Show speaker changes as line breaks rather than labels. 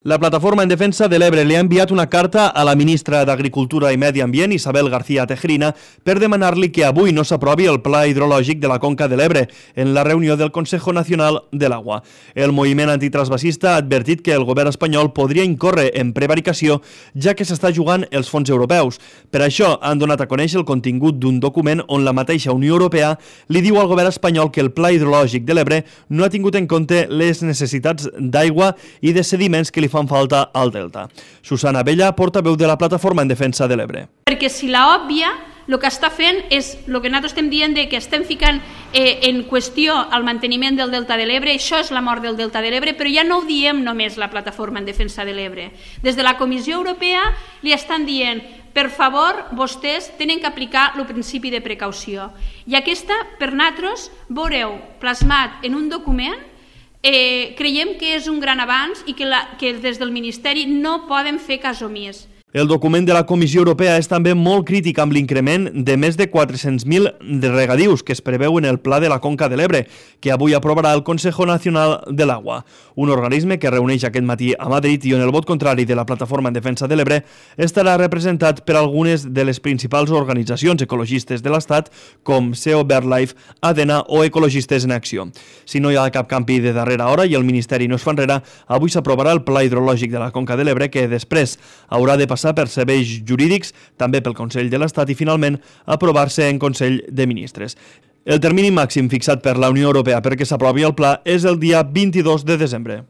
La Plataforma en Defensa de l'Ebre li ha enviat una carta a la ministra d'Agricultura i Medi Ambient, Isabel García Tejerina, per demanar-li que avui no s'aprovi el Pla Hidrològic de la Conca de l'Ebre en la reunió del Consejo Nacional de l'Agua. El moviment antitransvasista ha advertit que el govern espanyol podria incórrer en prevaricació, ja que s'està jugant els fons europeus. Per això han donat a conèixer el contingut d'un document on la mateixa Unió Europea li diu al govern espanyol que el Pla Hidrològic de l'Ebre no ha tingut en compte les necessitats d'aigua i de sediments que li fan falta al delta. Susana Abella, portaveu de la Plataforma en Defensa de l'Ebre.
Perquè si l'òbvia el que està fent és el que nosaltres estem dient de que estem ficant en qüestió el manteniment del delta de l'Ebre, això és la mort del delta de l'Ebre, però ja no ho diem només la Plataforma en Defensa de l'Ebre. Des de la Comissió Europea li estan dient per favor, vostès tenen que aplicar el principi de precaució. I aquesta, per nosaltres, veureu plasmat en un document, creiem que és un gran avanç i que des del Ministeri no poden fer cas omís.
El document de la Comissió Europea és també molt crític amb l'increment de més de 400.000 de regadius que es preveu en el Pla de la Conca de l'Ebre, que avui aprovarà el Consejo Nacional de l'Agua, un organisme que reuneix aquest matí a Madrid i on el vot contrari de la Plataforma en Defensa de l'Ebre estarà representat per algunes de les principals organitzacions ecologistes de l'Estat, com SEO BirdLife, ADENA o Ecologistes en Acció. Si no hi ha cap canvi de darrera hora i el Ministeri no es fa enrere, avui s'aprovarà el Pla Hidrològic de la Conca de l'Ebre, que després haurà de passar per serveis jurídics, també pel Consell de l'Estat i finalment aprovar-se en Consell de Ministres. El termini màxim fixat per la Unió Europea perquè s'aprovi el pla és el dia 22 de desembre.